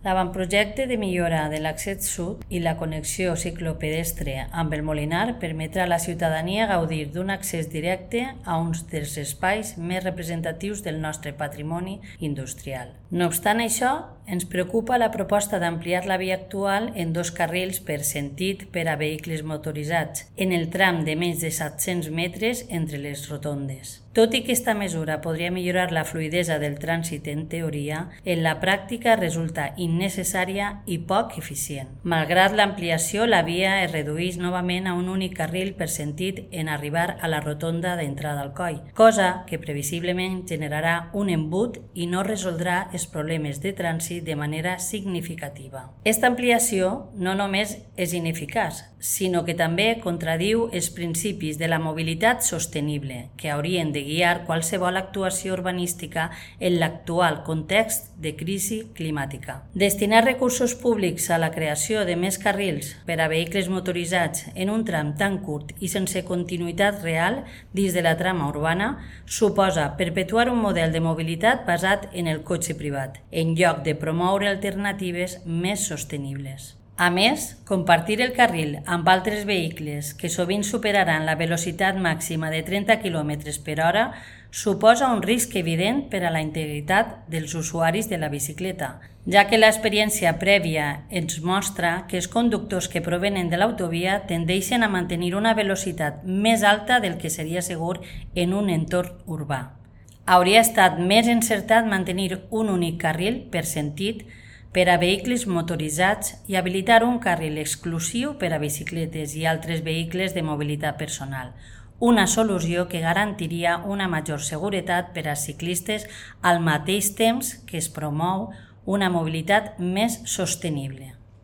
L'avantprojecte de millora de l'accés sud i la connexió ciclopedestre amb el Molinar permetrà a la ciutadania gaudir d'un accés directe a uns dels espais més representatius del nostre patrimoni industrial. No obstant això, ens preocupa la proposta d'ampliar la via actual en 2 carrils per sentit per a vehicles motoritzats, en el tram de menys de 700 metres entre les rotondes. Tot i que aquesta mesura podria millorar la fluïdesa del trànsit en teoria, en la pràctica resulta innecessària i poc eficient. Malgrat l'ampliació, la via es redueix novament a un únic carril per sentit en arribar a la rotonda d'entrada al coll, cosa que previsiblement generarà un embut i no resoldrà els problemes de trànsit de manera significativa. Aquesta ampliació no només és ineficaç, sinó que també contradiu els principis de la mobilitat sostenible, que haurien de guiar qualsevol actuació urbanística en l'actual context de crisi climàtica. Destinar recursos públics a la creació de més carrils per a vehicles motoritzats en un tram tan curt i sense continuïtat real dins de la trama urbana suposa perpetuar un model de mobilitat basat en el cotxe privat, en lloc de promoure alternatives més sostenibles. A més, compartir el carril amb altres vehicles que sovint superaran la velocitat màxima de 30 km per hora suposa un risc evident per a la integritat dels usuaris de la bicicleta, ja que l'experiència prèvia ens mostra que els conductors que provenen de l'autovia tendeixen a mantenir una velocitat més alta del que seria segur en un entorn urbà. Hauria estat més encertat mantenir un únic carril per sentit per a vehicles motoritzats i habilitar un carril exclusiu per a bicicletes i altres vehicles de mobilitat personal, una solució que garantiria una major seguretat per als ciclistes al mateix temps que es promou una mobilitat més sostenible.